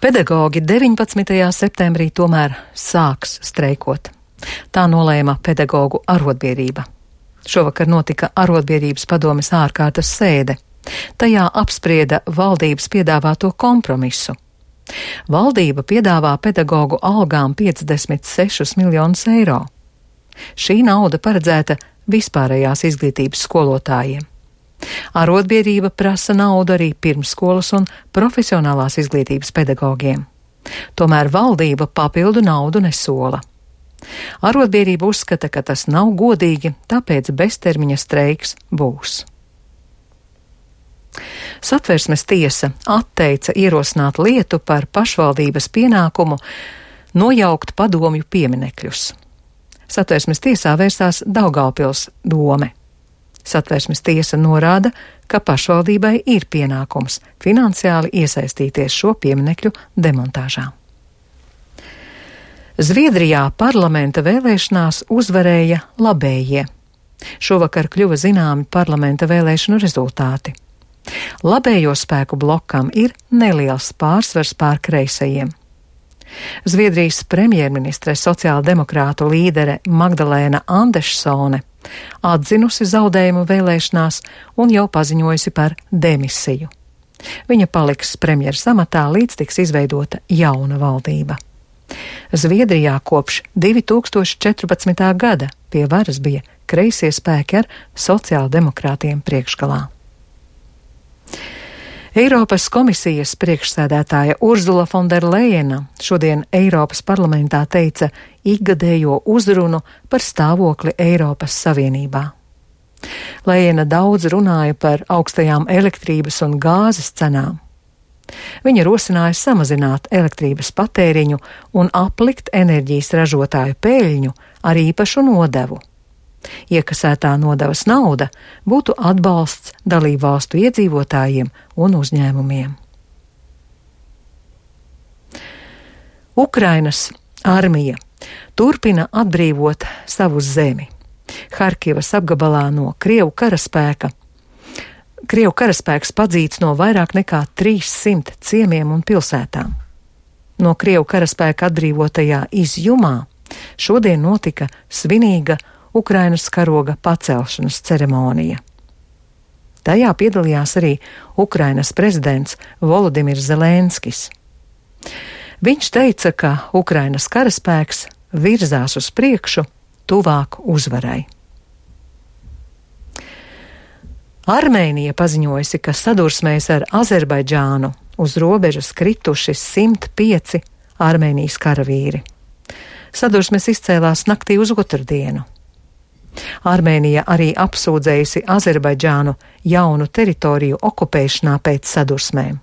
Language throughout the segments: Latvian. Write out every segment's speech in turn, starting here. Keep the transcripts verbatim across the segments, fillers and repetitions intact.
Pedagogi deviņpadsmitajā septembrī tomēr sāks streikot. Tā nolēma pedagogu arotbiedrība. Šovakar notika arotbiedrības padomes ārkārtas sēde. Tajā apsprieda valdības piedāvāto kompromisu. Valdība piedāvā pedagogu algām piecdesmit sešus miljonus eiro. Šī nauda paredzēta vispārējās izglītības skolotājiem. Arotbiedrība prasa naudu arī pirmsskolas un profesionālās izglītības pedagogiem. Tomēr valdība papildu naudu nesola. Arotbiedrība uzskata, ka tas nav godīgi, tāpēc beztermiņa streiks būs. Satversmes tiesa atteica ierosināt lietu par pašvaldības pienākumu nojaukt padomju pieminekļus. Satversmes tiesā vērsās Daugavpils dome. Satversmes tiesa norāda, ka pašvaldībai ir pienākums finansiāli iesaistīties šo pieminekļu demontāžā. Zviedrijā parlamenta vēlēšanās uzvarēja labējie. Šovakar kļuva zināmi parlamenta vēlēšanu rezultāti. Labējo spēku blokam ir neliels pārsvars pār kreisajiem. Zviedrijas premjerministre sociāldemokrātu līdere Magdalēna Andersone atzinusi zaudējumu vēlēšanās un jau paziņojusi par demisiju. Viņa paliks premjeras amatā, līdz tiks izveidota jauna valdība. Zviedrijā kopš divi tūkstoši četrpadsmitā gada pie varas bija kreisie spēki ar sociāldemokrātiem priekšgalā. Eiropas komisijas priekšsēdētāja Urzula Fonderlejena šodien Eiropas parlamentā teica ikgadējo uzrunu par stāvokli Eiropas Savienībā. Lejena daudz runāja par augstajām elektrības un gāzes cenām. Viņa rosināja samazināt elektrības patēriņu un aplikt enerģijas ražotāju peļņu ar īpašu nodevu. Iekasētā nodevas nauda būtu atbalsts dalībvalstu iedzīvotājiem un uzņēmumiem. Ukrainas armija turpina atbrīvot savu zemi. Harkivas apgabalā no Krievu karaspēka. Krievu karaspēks padzīts no vairāk nekā trīssimt ciemiem un pilsētām. No Krievu karaspēka atbrīvotajā Izjumā šodien notika svinīga Ukrainas karoga pacelšanas ceremonija. Tajā piedalījās arī Ukrainas prezidents Volodimirs Zelenskis. Viņš teica, ka Ukrainas karaspēks virzās uz priekšu tuvāk uzvarai. Armēnija paziņojusi, ka sadursmēs ar Azerbaidžānu uz robežas krituši simt pieci Armēnijas karavīri. Sadursmes izcēlās naktī uz otrdienu. Armēnija arī apsūdzējusi Azerbaidžānu jaunu teritoriju okupēšanā pēc sadursmēm.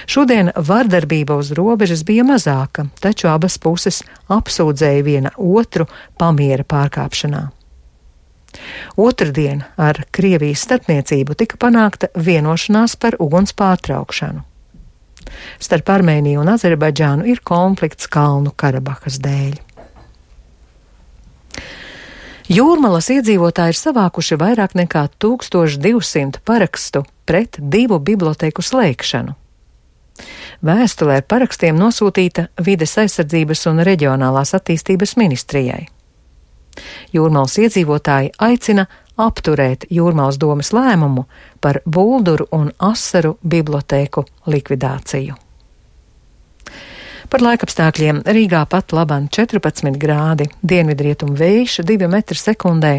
Šodien vardarbība uz robežas bija mazāka, taču abas puses apsūdzēja viena otru pamiera pārkāpšanā. Otrdien ar Krievijas starpniecību tika panākta vienošanās par uguns pārtraukšanu. Starp Armēniju un Azerbaidžānu ir konflikts Kalnu Karabahas dēļ. Jūrmalas iedzīvotāji ir savākuši vairāk nekā tūkstoš divsimt parakstu pret divu bibliotēku slēgšanu. Vēstulē ar parakstiem nosūtīta Vides aizsardzības un reģionālās attīstības ministrijai. Jūrmalas iedzīvotāji aicina apturēt Jūrmalas domes lēmumu par Bulduru un Asaru bibliotēku likvidāciju. Par laikapstākļiem Rīgā pat laban četrpadsmit grādi, dienvidrietumu vējš divi metri sekundē,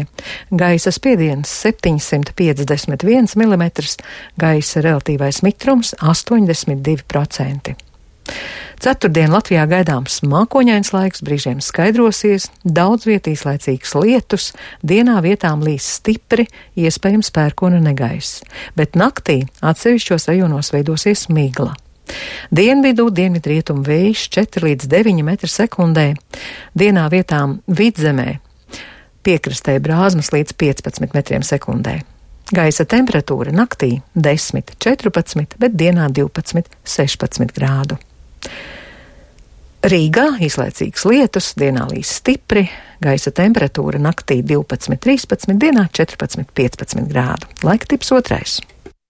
gaisa spiediens septiņsimt piecdesmit viens milimetrs, gaisa relatīvais mitrums astoņdesmit divi procenti. Ceturtdien Latvijā gaidāms mākoņains laiks, brīžiem skaidrosies, daudz viet īslaicīgs lietus, dienā vietām līs stipri, iespējams pērkona negaiss, bet naktī atsevišķos rajonos veidosies migla. Dienvidu dienvidrietumu vējš četri līdz deviņi metri sekundē, dienā vietām vidzemē, piekrastē brāzmas līdz piecpadsmit metriem sekundē. Gaisa temperatūra naktī desmit četrpadsmit, bet dienā divpadsmit sešpadsmit grādu. Rīgā īslaicīgs lietus, dienā līs stipri, gaisa temperatūra naktī divpadsmit trīspadsmit, dienā četrpadsmit piecpadsmit grādu. Laika tips otrais.